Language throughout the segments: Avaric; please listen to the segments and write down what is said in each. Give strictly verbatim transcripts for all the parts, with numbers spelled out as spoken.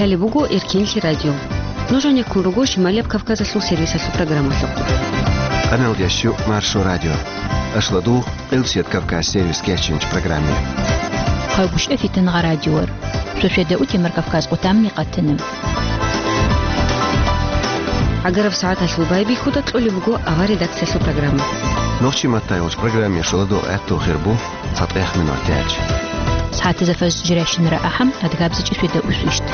Лъалеб буго Эркинлъи радио. Нуж гьанеккун руго Шималияб Кавказалъул сервисалъул программалъухъ. Къаналдящу Маршо радио. Ашладу, Къилсият Кавказ сервис кечинч программе. Хъалгушев Фитангъа радиор. Шошеда утемар Кавказ къутамни къатана. Агараб сагӀаталъул байбихьуда кьолеб буго авар редакциялъул программа. Нохчи маттайолч программе шоладу гӀатту хирбу. Цадгъех минутач. СагӀатазда фаз жирашинара ахӀам, адгабзичӀи шведа усвищт.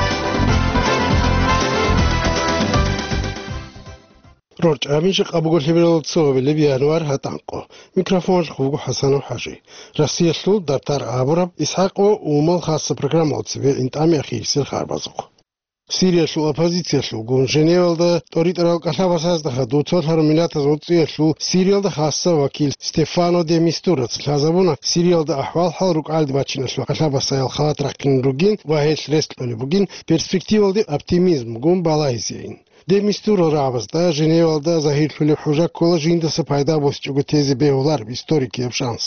РорчӀабинчи къабуго лъеберал цо гьабилеб январь гьатӀанкъо. Микрофон жухъ буго ХӀасанов ХӀажи. Россиялъул дартар абураб ИсхӀакъ ва Умал хасса программал цебе интӀами ахирисел харбазухъ. Сириялъул оппозициялъулгун Женевалда тӀоритӀарал кӀалъабасазда хадув цолъарав миллатаз гӀуцӀиялъул Сириялда хасса вакил Стефано де Мистураца лъазабуна, Сириялда ахӀвал-хӀал рукӀалде бачиналъул кӀалъабасаял халат рахъин ругин ва гьелъ рес кьолеб бугин перспективалде оптимизмгун балагьизейин. Де Мистура рагӀабазда Женевалда загьирлъулеб хӀужа ккола жиндаса пайда босичӀого тезе бегьулареб историкияб шанс.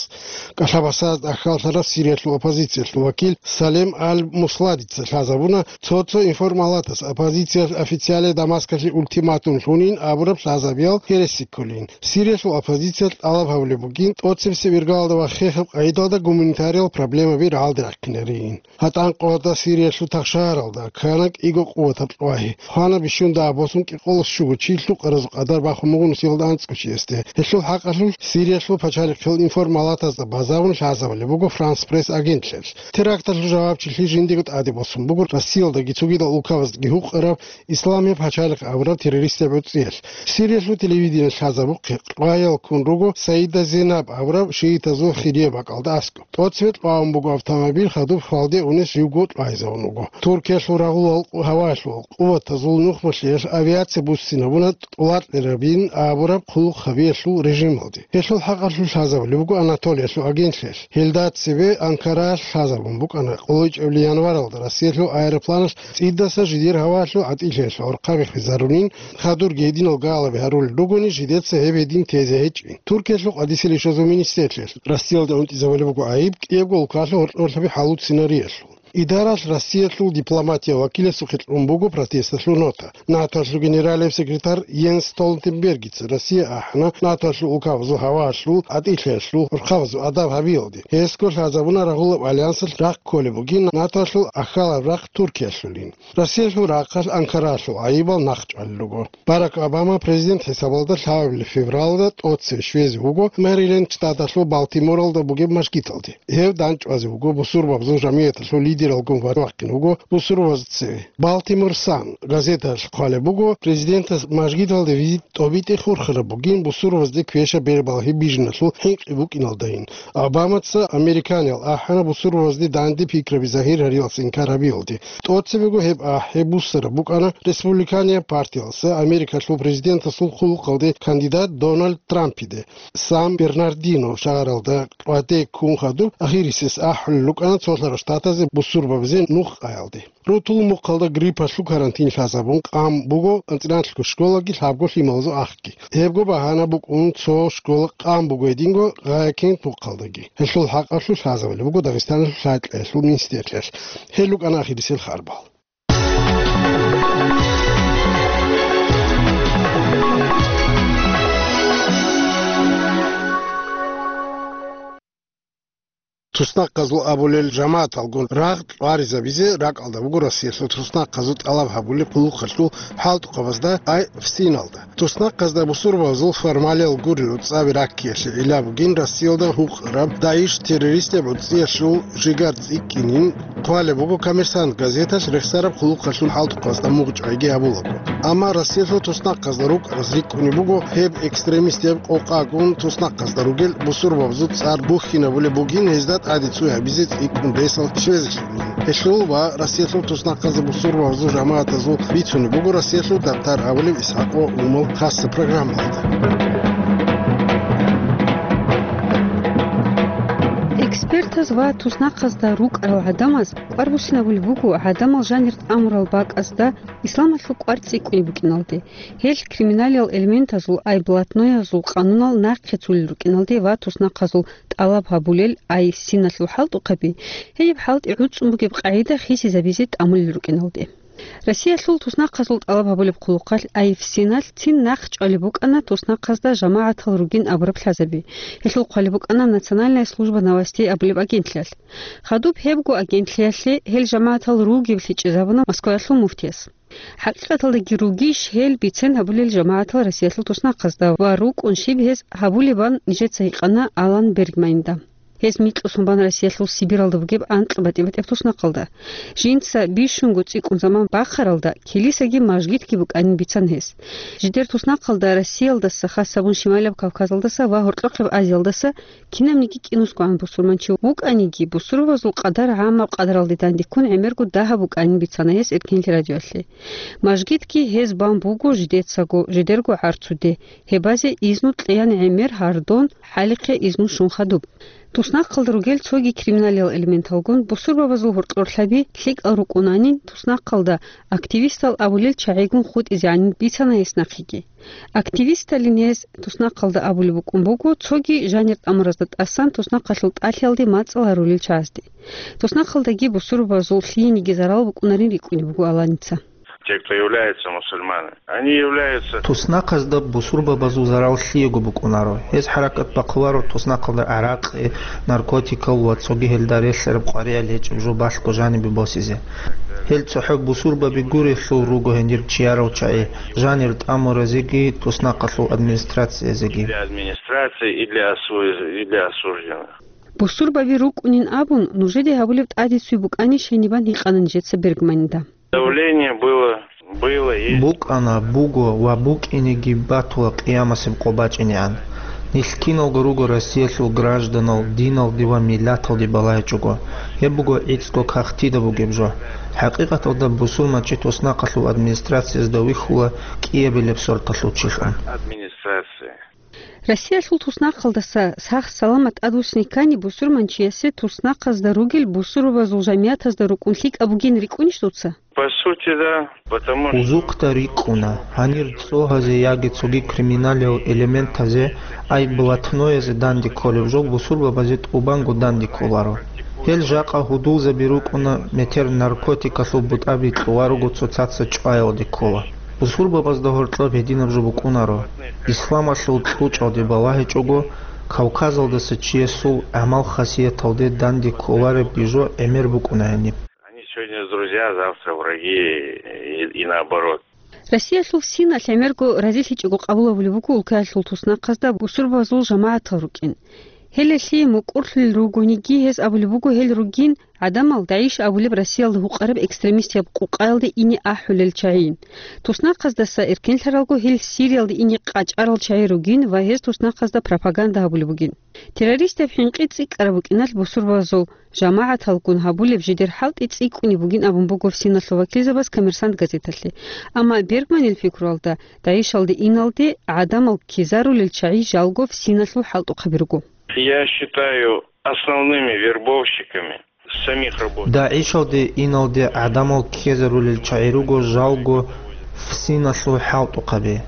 КӀалъабасазда ахьаллъараб Сириялъул оппозициялъул вакил Салем Аль-Мусладица лъазабуна, цо-цо информалатас оппозициялъ официале Дамаскалъе ультиматум лъунин абураб лъазабиял гьереси кколин. Сириялъул оппозициялъ тӀалаб гьабулеб бугин тӀоцебесеб иргалалда ва хехаб къагӀидалда гуманитариял проблемаби рагӀалде рахъинарейин. ГьатӀанкъода Сириялъул тахшагьаралда ккана кӀиго къуватаб кьвагьи. Хвана бищун дагь босун кӀикъоялда щуго чи лъукъаразул къадар бахун буго нусиялда анцӀго чиясде. Гьелъул хӀакъалъулъ Сириялъул пачалихъил информалатазда базарун лъазабулеб буго Франс Пресс агентлъиялъ. Теракталъул жавабчилъи жиндиего тӀаде босун буго Россиялдаги цогидал улкабаздаги гьукъараб Исламияб пачалихъ абураб террористияб гӀуцӀиялъ. Сириялъул телевидениялъ лъазабухъе кьваял ккун руго Саида Зейнаб абураб шиитазул хирияб бакӀалда аскӀоб. ТӀоцебе кьвагӀун буго автомобиль, хадуб хвалде унес живго кьвайзавун вуго. Туркиялъул рагъулал гьавалъул къуватазул нухмалъиялъ авиация буссинабуна тӀолакьарабин абураб хъулухъ гьабиялъул режималде. Гьелъул хӀакъалъулъ лъазабулеб буго Анатолиялъул агентлъиялъ. Гьелда цебе Анкаралъ лъазабун букӀана къулайчӀебли январалда Россиялъул аэропланалъ цӀидаса жидер гьавалъул гӀатӀилъиялъ гӀорхъаби хвезарунин, хадурги гьединал галаби гьарулел ругони, жидеца гьеб гьедин тезе гьечӀин. Туркиялъул къадисел ишазул министрлъиялъ Россиялда унтӀизабулеб буго гӀайиб кӀиябго улкалъул гьоркьорлъаби хӀалуцинариясул. Идаралъ Россиялъул дипломатиял вакиласухъе кьун буго протесталъул нота. НАТОлъул генералияб секретарь Йенс Столтенбергица Россия ахӀана НАТОлъул улкабазул гьавалъул гӀатӀилъиялъул гӀорхъабазул адаб гьабиялде. Гьесго лъазабуна рагъулаб альянсалъ рахъ кколеб бугин НАТОлъул ахьалаб рахъ Туркиялъулин. Россиялъул рахъалъ Анкаралъул гӀайибал нахъ чӀвалел руго. Барак Обама президент хӀисабалда лъабабилеб февралда тӀоцебе щвезе вуго Мэриленд штаталъул Балтиморалда бугеб мажгиталде. Гьев дандчӀвазе вуго бусурбабазул жамигӀаталъул лидералгун ва вахъине вуго бусурбабазда цеве. Балтимор Сан газеталъ хъвалеб буго, президентас мажгиталде визит тӀобитӀи хурхараб бугин бусурбабазде квешаб бербалги бижиналъул хӀинкъи букӀиналдайин. Обамаца американиял ахӀана бусурбабазде данде пикраби загьир гьариялъе инкар гьабиялде. ТӀоцебего гьеб ахӀи буссараб букӀана республиканияб партиялъа Америкалъул президентасул хъулухъалде кандидат Дональд Трампиде. Сан-Бернардино шагьаралда къватӀи ккун хадуб ахирисес ахӀулел рукӀана цолъарал штатазе бусурбабазе нух къаялде. Рутул мухъалда гриппалъул карантин лъазабун къан буго анцӀила школаги лъабго лъималазул ахги. Гьебго багьана букӀун цо школа къан буго гьединго гъайикент мухъалдаги. Гьелъул хӀакъалъулъ лъазабулеб буго Дагъистаналъул лъабкьоялъул министрлъиялъ. Гьел рукӀана ахирисел харбал. Туснахъазул абулел жамагӀаталгун рагъ кьваризабизе ракӀалда буго Россиялъул туснахъазул тӀалаб гьабулеб хъулухъалъул хӀалтӀухъабазда ай ФСИНалда. Туснахъазда бусурбабазул формалиял гурел уцӀаби раккиялъе гӀилла бугин Россиялда гьукъараб ДАИШ террористияб гӀуцӀиялъул жигар цӀикӀкӀинин хъвалеб буго Коммерсант газеталъ рехсараб хъулухъалъул хӀалтӀухъабазда мугъ чӀвайги гьабулаго. Амма Россиялъул туснахъазда рукӀараз рикӀкӀунеб буго гьеб экстремистияб къокъагун туснахъазда ругел бусурбабазул цӀар бухьинабулеб бугин гьезда тӀаде цӀуй гьабизе цӀикӀкӀун ресал щвезелъул. Гьелъул ва Россиялъул туснахъазда бусурбабазул жамагӀатазул бицунеб буго Россиялъул дартар абулеб ИсхӀакъ ва Умал хасса программалда. Экспертаз ва туснахъазда рукӀарал гӀадамаз кӀвар буссинабулеб буго гӀадамал жанир тӀамурал бакӀазда исламалъул кӀвар цӀикӀкӀунеб букӀиналде. Гьел криминалиял элементазул ай блатноязул къанунал нахъе цулел рукӀиналде ва туснахъазул тӀалаб гьабулел ай ФСИНалъул хӀалтӀухъаби, гьеб хӀалтӀи гӀуцӀун бугеб къагӀида хисизабизе тӀамулел рукӀиналде. Россиялъул туснахъазул тӀалаб гьабулеб хъулухъалъ АФСИНалъ цин нахъ чӀвалеб букӀана туснахъазда жамагӀатал ругин абураб лъазаби. Гьелъул хъвалеб букӀана Национальная служба новостей абулеб агентлъиялъ. Хадуб гьебго агентлъиялъе гьел жамагӀатал ругеб лъикӀизабуна Москваялъул муфтияс. ХӀакъикъаталдаги ругищ гьел бицен гьабулел жамагӀатал Россиялъул туснахъазда ва рукӀун щиб гьез гьабулебан нижеца гьикъана Алан Бергманда. Гьез микьусун бан Россиялъул Сибиралда бугеб анкь батӀи-батӀияб туснахъалда. Жинца бищунго цӀикӀкӀун заман бахъаралда, килисаги мажгитги букӀанин бицана гьес. Жидер туснахъалда Россиялдаса, хас гьабун Шималаб Кавказалдаса ва Гьоркьохъеб Азиялдаса кинабниги кӀинусгогӀан бусурманчи вукӀаниги, бусурбабазул къадар гӀаммаб къадаралде дандеккун гӀемерго дагьаб букӀанин бицана гьес Эркенлъи радиоялъе. Мажгитги гьез бан буго жидецаго, жидерго гӀарцуде, гьебазе изну кьеян гӀемер гьардон, хӀалихъе изну щун хадуб. Туснахъалда ругел цоги криминалиял элементалгун бусурбабазул гьоркьорлъаби лъикӀал рукӀунанин, туснахъалда активистал абулел чагӀигун хутӀизегӀанин бицана гьес нахъеги. Активисталин гьез туснахъалда абулеб букӀун буго, цоги жанир тӀамуразда тӀасан туснахъалъул тӀалъиялде мацӀал гьарулел чагӀазде. Туснахъалдаги бусурбабазул лъиениги зарал букӀунарин рикӀкӀунеб буго Аланица. Те, кто является мусульманами, они являются... Туснахъазда бусурбабазул зарал лъиего букӀунаро. Гьез хӀаракат бахъуларо туснахъалда гӀаракъи, наркотикал ва цоги гьелда релълъараб къваригӀел гьечӀеб жо балъго жанибе босизе. Гьел цохӀо бусурбаби гурелъул руго гьенир чиярал чагӀи, жанир тӀамуразеги туснахъалъул администрациязеги. Для администрации и для осу-, и для осужденных. Бусурбаби рукӀунин абун, нужеде гьабулеб тӀадицуй букӀани щайнибан гьикъана нижеца Бергманда. Давление было, было, есть. БукӀана, буго ва букӀинеги батула къиямасеб къо бачӀинегӀан. Нилъ киналго руго Россиялъул гражданал диналде ва миллаталде балагьичӀого. Гьеб буго гӀицӀго кагътида бугеб жо. ХӀакъикъаталда бусурманчи туснахъалъул администрациязда вихьула кӀиабилеб сорталъул чилъун. Администрация. Россиялъул туснахъалдаса сах-саламат тӀадвуссине ккани бусурманчиясе туснахъазда ругел бусурбабазул жамиятазда рукӀун лъикӀаб бугин рикӀкӀунищ дуца? По сути, да, потому что... Узухъда рикӀкӀуна, гьанир цӀогьазе яги цоги криминалиял элементазе, ай блатноязе данде кколеб жо бусурбабазе тӀубанго данде кколаро. Гьел жакъа гьудулзаби рукӀуна метер наркотикалъул бутӀаби кьуларого цоцаца чӀваялде ккола. Бусурбабазда гьоркьоб гьединаб жо букӀунаро. Исламалъул кьучӀалде балагьичӀого, Кавказалдаса чиясул гӀамал-хасияталде данде кколареб бижо гӀемер букӀуна гьаниб. Они сегодня друзья, завтра враги и, и наоборот. Россиялъул ФСИНалъ гӀемерго разилъичӀого къабул гьабулеб буго улкаялъул туснахъазда бусурбабазул жамагӀатал рукӀин. Гьеле лъие мукӀурлъулел ругониги, гьез абулеб буго гьел ругин гӀадамал ДАИШ абулеб Россиялда гьукъараб экстремистияб къукъаялде ине ахӀулел чагӀийин. Туснахъаздаса эркенлъаралго гьел Сириялде ине къачӀарал чагӀи ругин ва гьез туснахъазда пропаганда гьабулеб бугин. Террористияб хӀинкъи цӀикӀкӀараб букӀиналъ бусурбабазул жамагӀаталгун гьабулеб жидер хӀалтӀи цӀикӀкӀунеб бугин абун буго ФСИНалъул вакилзабаз «Коммерсант» газеталъе. Амма Бергманил пикруялда, ДАИШалде иналде гӀадамал ккезарулел чагӀи жалго ФСИНалъул хӀалтӀухъаби руго. Я считаю основными вербовщиками самих работников. ДАИШалде иналде гӀадамал ккезарулел чагӀи руго жалго ФСИНалъул хӀалтӀухъаби.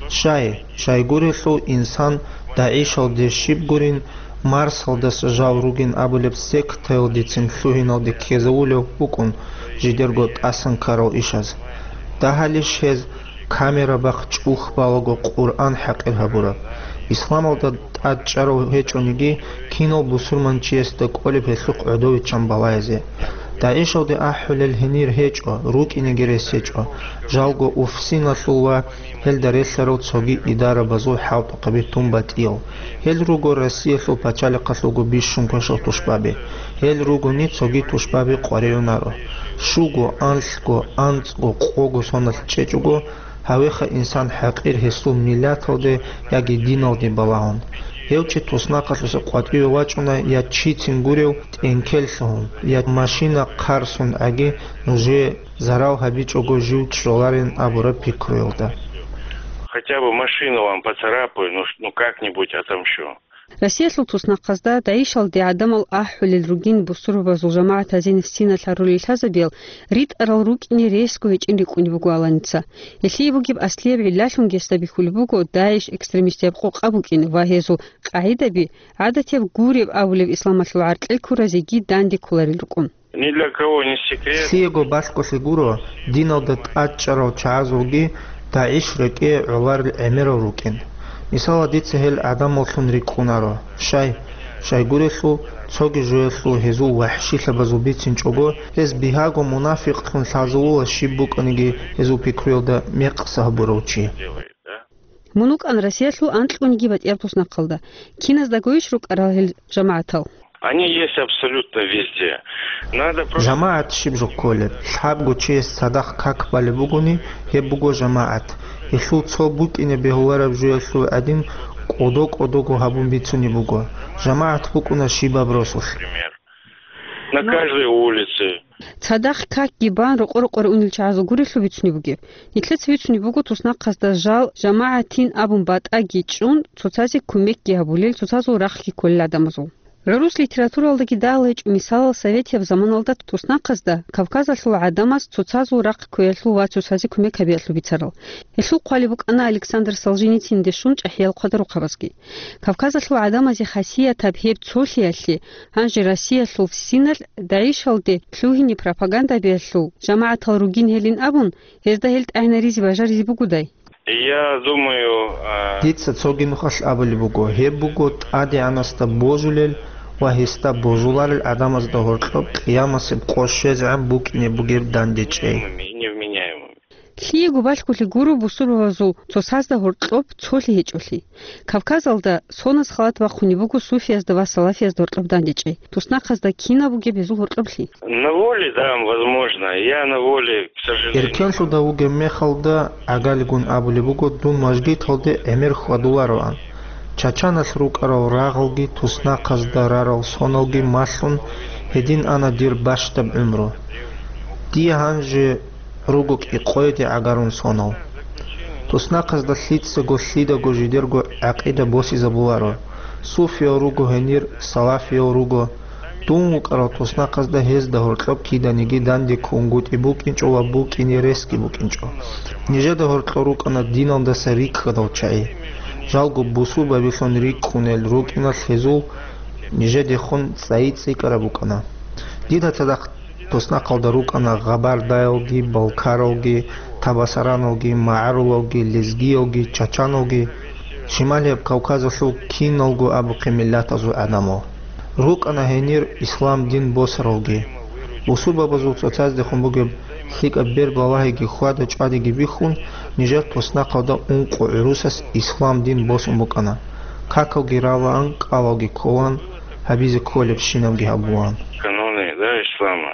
Щай, щайгурелъул инсан ДАИШалде щиб гурин, Марсалдаса жал ругин абулеб сектаялдецин лъугьиналде ккезавулев вукӀун жидерго тӀасан ккарал ишаз. Дагьалищ гьез камера бахъ чӀухь балаго Къуръан хӀакъир гьабураб? Исламалда тӀад чӀарав гьечӀониги, кинал бусурманчиясда кӀолеб гьелъухъ гӀодовиччан балаязе? ДАИШалде ахӀулел гьенир гьечӀо, рукӀинеги рес гьечӀо, жалго ФСИНалъул ва гьелда релълъарал цоги идарабазул хӀалтӀухъаби тун батӀиял. Гьел руго Россиялъул пачалихъалъулго бищун квешал тушбаби. Гьел ругони цоги тушбаби къваригӀунаро. Щуго, анлъго, анцӀго, къого соналъ чӀечӀого, гьавеха инсан хӀакъир гьесул миллаталде яги диналде балагьун. Гьев чи туснахъалъуса къватӀиве вачӀуна я чицин гурев тӀенкел лъугьун, я машина хъарсун гӀаги нужее зарал гьабичӀого жив чӀоларин абураб пикруялда. Хотя бы машину вам поцарапаю, ну, ш-, ну как-нибудь отомщу. Россиялъул туснахъазда ДАИШалде гӀадамал ахӀулел ругин бусурбабазул жамагӀатазин ФСИНалъ гьарулел лъазабиял ритӀарал рукӀине ресго гьечӀин рикӀкӀунеб буго Аланица. Гьелъие бугеб аслияб гӀиллалъунги гьесда бихьулеб буго ДАИШ экстремистияб къокъа букӀин ва гьезул къагӀидаби гӀадатияб гуреб абулеб исламалъул гӀаркьел ккуразеги данде кколарел рукӀун. Ни для кого не секрет. Лъиего балъголъи гуро, диналда тӀадчӀарал чагӀазулги ДагӀиш рекӀее гӀоларел гӀемерал рукӀин. Мисалал, дица гьел гӀадамаллъун рикӀкӀунаро. Щай? Щайгурелъул, цоги жоялъул гьезул вахӀшилъабазул бицинчӀого, гьез бигьаго мунафикълъун лъазулула щиб букӀаниги гьезул пикруялда мекъса гьабурав чи. Делает, да? Мун вукӀан Россиялъул анкьгониги батӀияб туснахъалда. Киназдагойищ рукӀарал гьел жамагӀатал? Они есть абсолютно везде. Надо просто... ЖамагӀат щиб жо кколеб? Лъабго чияс цадахъ как балеб бугони, гьеб буго жамагӀат. Гьелъул цо букӀине бегьулареб жоялъул гӀадин, кӀодо-кӀодого гьабун бицунеб буго. ЖамагӀат букӀуна щибаб росулъ. Пример. На каждой улице. Цадахъ какги бан рокъо-рокъоре унел чагӀазул гурелъул бицунеб бугеб. Нилъеца бицунеб буго туснахъазда жал жамагӀатин абун батӀаги чӀун, цоцазе кумекги гьабулел, цоцазул рахъги кколел гӀадамазул. ГӀурус литературалдаги дагьал гьечӀо мисалал советияб заманалда туснахъазда Кавказалъул гӀадамаз цоцазул рахъ кквеялъул ва цоцазе кумек гьабиялъул бицарал. Гьелъул хъвалеб букӀана Александр Солженицинде щун чӀахӀиял хъвадарухъабазги. Кавказалъул гӀадамазе хасиятаб гьеб цолъиялъе, гьанже Россиялъул синалъ ДагӀишалде лъугьине пропаганда гьабиялъул жамагӀатал ругин гьелин абун, гьезда гьел тӀагӀинаризе бажаризе бугодай? Я думаю, а, Дица цоги нухалъ абулеб буго, гьеб буго ТӀадегӀанасда божулел ва гьесда божуларел гӀадамазда гьоркьоб къиямасеб къо щвезегӀан букӀине бугеб дандечӀей. Невменяемыми. Лъиего балъголъи гуро бусурбабазул цоцазда гьоркьоб цолъи гьечӀолъи. Кавказалда соназ халат бахъунеб буго суфиязда ва салафиязда гьоркьоб дандечӀей. Туснахъазда кинаб бугеб гьезул гьоркьоблъи? На воле, да, возможно. Я на воле, к сожалению. Эркенлъуда вугеб мехалда гӀагалигун абулеб буго, дун мажгиталде гӀемер хьвадулароан. Чачаналъ рукӀарал рагъалги туснахъазда рарал соналги малъун гьедин ана дир бащдаб гӀумру. Дие гьанже руго кӀикъоялде гӀагарун сонал. Туснахъазда лъицаго лъидаго жидерго гӀакъида босизабуларо, суфиял руго гьенир, салафиял руго. Дун вукӀарал туснахъазда гьезда гьоркьоб киданиги данде ккунгутӀи букӀинчӀо ва букӀине ресги букӀинчӀо. Нижеда гьоркьор рукӀана диналдаса рикӀкӀадал чагӀи. Жалго бусурбабилъун рикӀкӀунел рукӀиналъ гьезул нижедехун цӀайи цӀикӀкӀараб букӀана. Дида цадахъ туснахъалда рукӀана гъабардаялги, балкаралги, табасараналги, магӀарулалги, лезгиялги, чачаналги, Шималияб Кавказалъул киналго абухъе миллатазул гӀадамал. РукӀана гьенир ислам дин босаралги. Бусурбабазул цоцаздехун бугеб лъикӀаб бер-балагьиги хьвада-чӀвадиги бихьун, нижер туснахъалда ункъо гӀурусас ислам дин босун букӀана. Какалги ралаан, кӀалалги кколаан, гьабизе кколебщинабги гьабулаан. Каноны, да, ислама.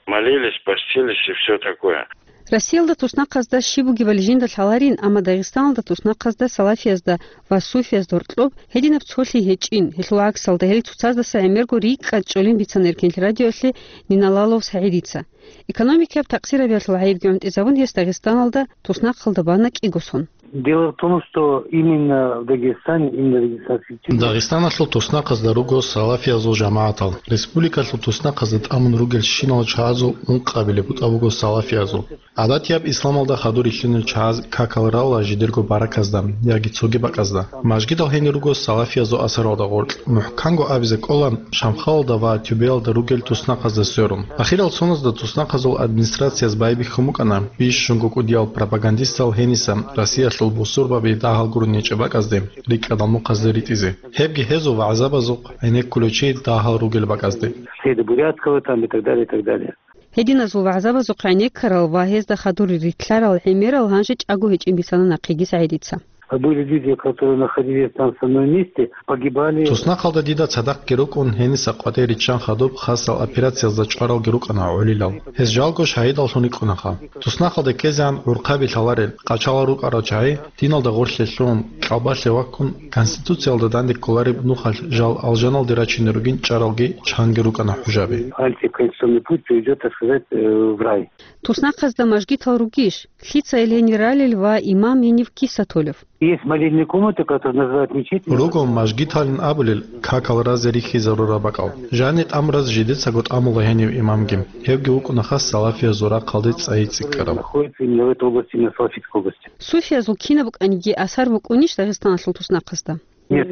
Молились, постились и всё такое. Россиялда туснахъазда щиб бугебали жинда лъаларин, амма Дагъистаналда туснахъазда салафиязда ва суфиязда гьоркьоб гьединаб цолъи гьечӀин, гьелъул гӀаксалда гьел цоцаздаса гӀемерго рикӀкӀад чӀолин бицана Эркенлъи радиоялъе Ниналалов СагӀидица. Экономикаяб такъсирабиялъул гӀайибги гӀунтӀизабун гьес Дагъистаналда туснахъалда бана кӀиго сон. Дело в том, что именно в Дагестане, именно в Дагестанской Республике Дагъистаналъул туснахъазда руго салафиязул жамагӀатал. Республикалъул туснахъазда тӀамун ругелщинал чагӀазул ункъабилеб бутӀа буго салафиязул. ГӀадатияб исламалда хадур рилълъунел чагӀаз какал рала жидерго бараказда яги цоги бакӀазда. Мажгидал гьенир руго салафиязул асаралда гъоркь. МухӀканго абизе кӀола, Шамхалалда ва Тюбеялда ругел туснахъазда сверун. Ахирал соназда туснахъазул администрацияз байбихьун букӀана бищунго кӀудиял пропагандистал гьениса Россиялъул бусурбаби дагьал гурони гьечӀеб бакӀазде рикӀкӀадал мухъазде ритӀизе. Гьебги гьезул вагӀзабазухъ гӀенеккулев чи дагьал ругел бакӀазде. Седа Бурятского там и так далее, и так далее. Гьединазул вагӀзабазухъ гӀенеккарал ва гьезда хадур рилълъарал гӀемерал гьанже чӀаго гьечӀин бицана нахъеги СагӀидица. Были люди, которые находились там в самом месте, погибали. Туснахъалда дида цадахъги рукӀун, гьениса къватӀир риччан хадуб хасал операциязда чӀваралги рукӀана гӀолилал. Гьез жалго шагьидаллъун рикӀкӀунаха. Туснахъалде ккезегӀан гӀурхъаби лъаларел, къачалал рукӀарал чагӀи, диналда гъорлъе лъугьун, кьалбалъе ваккун, Конституциялда данде кколареб нухалъ жал алжаналде рачине ругин чӀаралги чанги рукӀана хӀужаби. Антиконституционный путь приведёт, так сказать, э, в рай. Туснахъазда мажгитал ругищ? Лъица ил гьенир ралел ва имам гьенив киса толев? Есть молельные комнаты, которые называют мечетями. Руго мажгиталин абулел какал разе рихьизарураб бакӀал. Жани тӀамураз жидецаго тӀамула гьенив имамги. Гьевги вукӀунаха салафиязул рахъалде цӀайи цӀикӀкӀараб. Находится именно в этой области, именно в Салафитской области. Суфиязул кинаб букӀаниги асар букӀунищ Дагъистаналъул туснахъазда? Нет.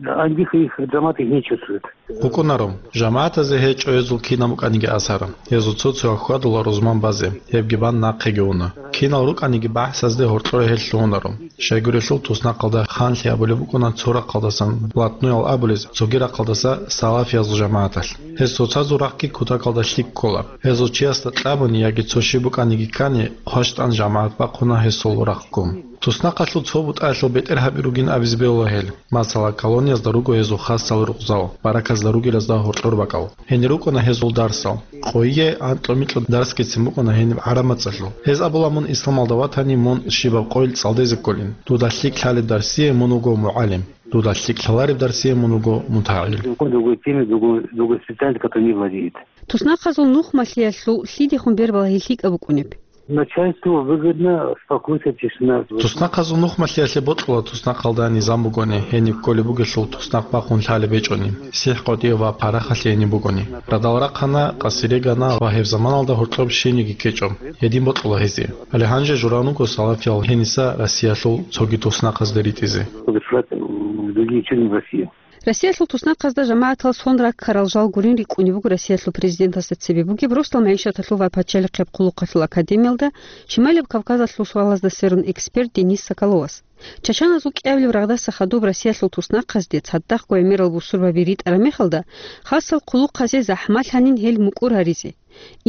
Они их, их, жамаат их не чувствует. БукӀунаро, жамагӀатазе гьечӀо гьезул кинаб букӀаниги асар. Гьезул цо-цо хьвадула рузман базе, гьебги бан нахъеги уна. Кинал рукӀаниги бахӀсазде гьоркьоре гьел лъугьунаро. Щайгурелъул туснахъалда ханлъи абулеб букӀуна цо рахъалдасан блатноял абулез, цоги рахъалдаса салафиязул жамагӀаталъ. Гьез цоцазул рахъги кутакалда лъикӀ ккола. Гьезул чиясда кьабуни яги цо щиб букӀаниги ккани, хъващтӀан жамагӀат бахъуна гьесул рахъго. Туснахъалъул цо бутӀаялъул бетӀер гьаби ругин абизе бегьула гьел. Масала, колониязда руго гьезул хасал рукъзал, бараказда ругелазда гьоркьор бакӀал. Гьенир рукӀуна гьезул дарсал. Къойие анкьа-микьа дарсгицин букӀуна гьениб гӀараб мацӀалъул. Гьез абула, мун исламалда ватани, мун щибаб къойил цӀалдезе кколин. Дуда лъикӀ лъалеб дарсие мун вуго мугӀалим. Дуда лъикӀ лъалареб дарсие мун вуго мутагӀил. Другой, другой теме, другой, другой специальности, которой не владеет. Туснахъазул нухмалъиялъул лъидехун бербала гьел лъикӀаб букӀунеб? Начальству выгодно спокойствие, тишина. Туснахъазул нухмалъиялъе бокьула туснахъалда низам бугони, гьениб кколеб бугелъул туснахъ бахъун лъалеб гьечӀони, сихӀ къотӀи ва парахалъи гьениб бугони. Радал рахъана, къасире гана ва гьеб заманалда гьоркьоб щениги ккечӀо, гьедин бокьула гьезие. Гьале гьанже журан вуго салафиял гьениса Россиялъул цоги туснахъазде ритӀизе. Разошлась в другие части России. Россиялъул туснахъазда жамагӀатал сон раккарал жал гурин рикӀкӀунеб буго Россиялъул президентасда цебе бугеб Росдал магӀишаталъул ва пачалихъеб хъулухъалъул академиялда Шималияб Кавказалъул суалазда сверун эксперт Денис Соколовас. Чачаназул кӀиабилеб рагъдаса хадуб Россиялъул туснахъазде цадахъго гӀемерал бусурбаби ритӀараб мехалда, хасал хъулухъазе захӀмалъанин гьел мукӀур гьаризе.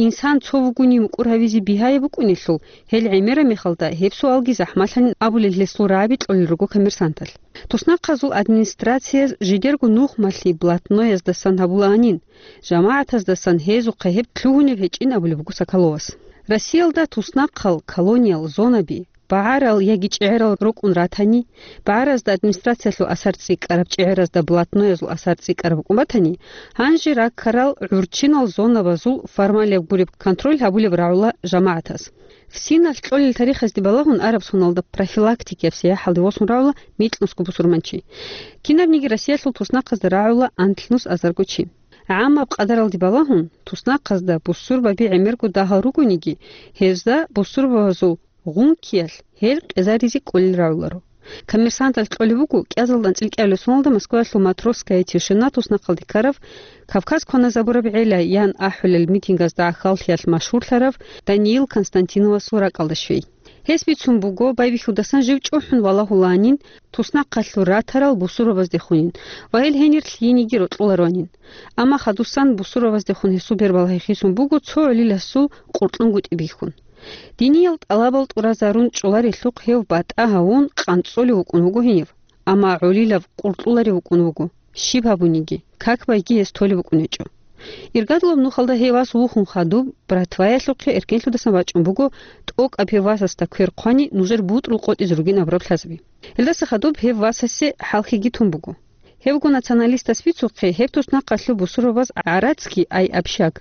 Инсан цо вугони мукӀур гьавизе бигьаяб букӀунелъул, гьел гӀемераб мехалда гьеб суалги захӀмалъанин абулел гьесул рагӀаби кьолел руго коммерсанталъ. Туснахъазул администрацияз жидерго нухмалъи блатнояздасан гьабулаанин, жамагӀатаздасан гьезухъе гьеб лъугьунеб гьечӀин абулеб буго Соколовас. Россиялда туснахъал, колониял, зонаби, багӀарал яги чӀегӀерал рукӀун ратани, багӀаразда администрациялъул асар цӀикӀкӀараб, чӀегӀеразда блатноязул асар цӀикӀкӀараб букӀун батани, гьанже раккарал гӀурччинал зонабазул формалияб гуреб контроль гьабулеб рагӀула жамагӀатаз. ФСИНалъ кьолел тарихазде балагьун араб соналда профилактикияб сияхӀалде восун рагӀула микьнусго бусурманчи. Кинабниги Россиялъул туснахъазда рагӀула анлънус азарго чи. ГӀаммаб къадаралде балагьун, туснахъазда бусурбаби гӀемерго дагьал ругониги, гьезда бусурбабазул гъункиялъ гьел къезаризе кӀолел рагӀуларо. Коммерсанталъ кьолеб буго, кӀиазалда анцӀил кӀиабилеб соналда Москваялъул «Матросская тишина» туснахъалде ккарав, «Кавказ кваназабураб гӀела» ян ахӀулел митингазда гӀахьаллъиялъ машгьурлъарав Даниил Константиновасул ракӀалда щвей. Гьес бицун буго, байбихьудасан жив чӀухӀун валагьулаанин, туснахъалъур ратарал бусурбабаздехунин ва гьел гьенир лъиениги рокьуларонин. Амма хадусан бусурбабаздехун гьесул бербал гьехисон буго цо гӀолиласул къуркьунгутӀи бихьун. Диниял тӀалабал тӀуразарун чӀоларелъухъ гьев батӀа гьавун къанцӀолев вукӀун вуго гьенив, амма гӀолилав къуркьуларев вукӀун вуго, щиб гьабуниги, как байги гьес толеб букӀун гьечӀо. Иргадулаб нухалда гьев вас вухун хадуб, братваялъухъе эркенлъудасан вачӀун буго, тӀокӀаб гьев васасда квер хъвани, нужер бутӀрул къотӀизе ругин абураб лъазаби. Гьелдаса хадуб гьев васасе хӀалхьиги тун буго. Гьевго националистас бицухъе, гьеб туснахъалъул бусурбабаз гӀарацги, ай общак,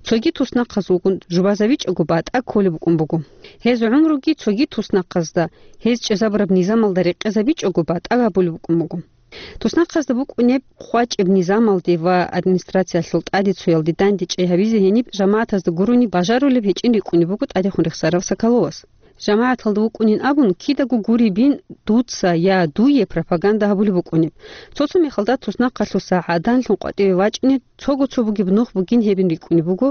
цоги туснахъазулгун жубазабичӀого батӀа кколеб букӀун буго. Гьез гӀумруги цоги туснахъазда, гьез чӀезабураб низамалда рекъезабичӀого батӀа гьабулеб букӀун буго. Туснахъазда букӀунеб хъвачӀеб низамалде ва администрациялъул тӀадецоялде дандечӀей гьабизе гьениб жамагӀатазда гурони бажарулеб гьечӀин рикӀкӀунеб буго тӀадехун рехсарав Соколовас. ЖамагӀаталда вукӀунин абун, кидаго гуребин дуца я дуе пропаганда гьабулеб букӀунеб. Цо-цо мехалда туснахъалъуса гӀаданлъун къватӀиве вачӀунеб, цого-цо бугеб нух бугин гьебин рикӀкӀунеб буго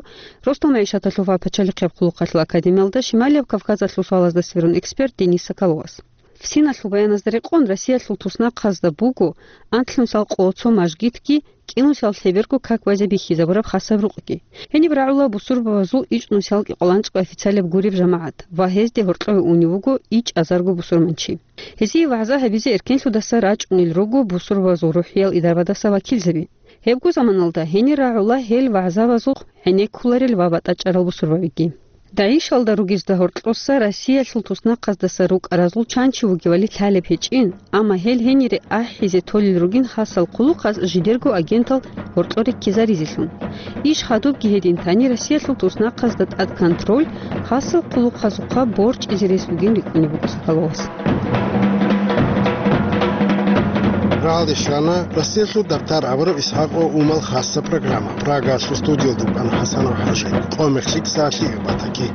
Росдал магӀишаталъул ва пачалихъияб хъулухъалъул академиялда Шималияб Кавказалъул суалазда сверун эксперт Денис Соколовас. ФСИНалъул баяназда рекъон, Россиялъул туснахъазда буго анлънусал къо-, цо мажгитги, кӀинусал лъеберго как байзе бихьизабураб хасаб рукъги. Гьениб рагӀула бусурбабазул ичӀнусал кӀикъоялда анцӀго официалаб гуреб жамагӀат ва гьезде гьоркьове унев вуго ичӀазарго бусурманчи. Гьезие вагӀза гьабизе эркенлъудаса рачӀунел руго бусурбабазул рухӀиял идарабаздаса вакилзаби. Гьебго заманалда гьенир рагӀула гьел вагӀзабазухъ гӀенеккуларел ва батӀачӀарал бусурбабиги. ДАИШалда ругезда гьоркьоса Россиялъул туснахъаздаса рукӀаразул чан чи вугевали лъалеб гьечӀин, амма гьел гьенире ахӀизе толел ругин хасал хъулухъаз жидерго агентал гьоркьоре ккезаризелъун. Иш хадубги гьедин тани Россиялъул туснахъазда тӀад контроль, хасал хъулухъазухъа борчӀизе рес бугин рикӀкӀунеб буго Соколовас. Рагьалде щвана Россиялъул дартар абураб ИсхӀакъ ва Умал хасса программа. Прагалъул студиялда вукӀана ХӀасанов ХӀажи. Къо-мех лъикӀ, сагӀат лъикӀаб батаги.